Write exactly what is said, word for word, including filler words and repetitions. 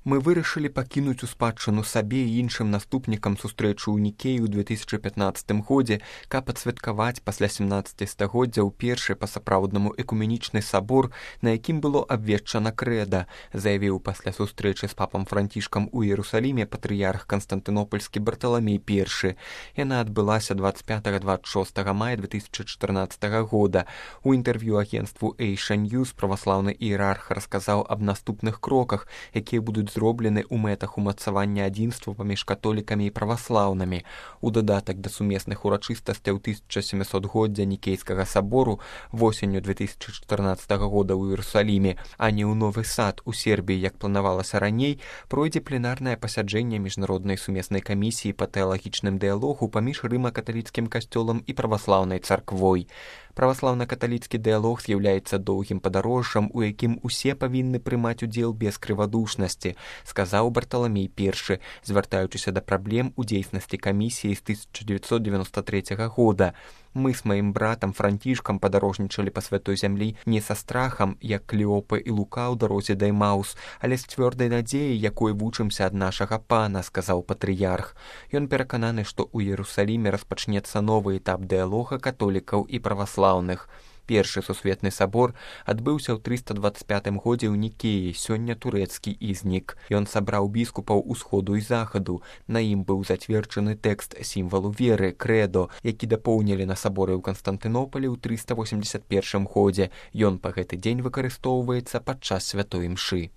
Мы вырашылі пакінуць у спадчыну сабе і іншым наступнікам сустрэчу ў Нікеі ў две тысячы пятнаццатым годзе, каб адсвяткаваць пасля сямнаццацігоддзяў першы па-сапраўднаму экуменічны сабор, на якім было абвешчана крэда, заявіў пасля сустрэчы з папам Францішкам у Іерусаліме патрыярх Канстантынопольскі Барталамей першы. Яна адбылася дваццаць пятага - дваццаць шостага мая две тысячы чатырнаццатага года. У інтэрв'ю агенцтву Asia News праваслаўны іерарх расказаў аб наступных кроках, якія будуць зроблены ў мэтах умацавання адзінства паміж католікамі і праваслаўнымі. У дадатак да сумесных урачыстасцяў тысяча сямісотгоддзя Нікейскага сабору восенню две тысячы чатырнаццатага года ў Іерусаліме, а не ў Новы Сад у Сербіі, як планавалася раней, пройдзе пленарнае пасяджэнне міжнароднай сумеснай камісіі па тэалагічным дыялогу паміж рыма-каталіцкім касцёлам і праваслаўнай царквой. Праваслаўна-каталіцкі дыялог з'яўляецца доўгім падарожжам, у якім усе павінны прымаць удзел без крывадушнасці, сказаў Барталамей першы, звяртаючыся да праблем у дзейснасці камісіі з тысяча дзевяцьсот дзевяноста трэцяга года. Мы з маім братам Францішкам падарожнічалі па святой зямлі не са страхам, як Клеопа і Лука ў дарозе да Эмаус, але з цвёрдай надзеяй, якой вучымся ад нашага пана, сказаў патрыярх. Ён перакананы, што ў Іерусаліме распачнецца новы этап дыялога католікаў і праваслаўных. Першы сусветны сабор адбыўся ў трыста дваццаць пятым годзе ў Нікеі, сёння турэцкі Ізнік. Ён сабраў біскупаў усходу і захаду. На ім быў зацверджаны тэкст сімвалу веры, крэдо, які дапоўнілі на саборы ў Канстантынополі ў трыста восемдзесят першым годзе. Ён па гэты дзень выкарыстоўваецца падчас святой імшы.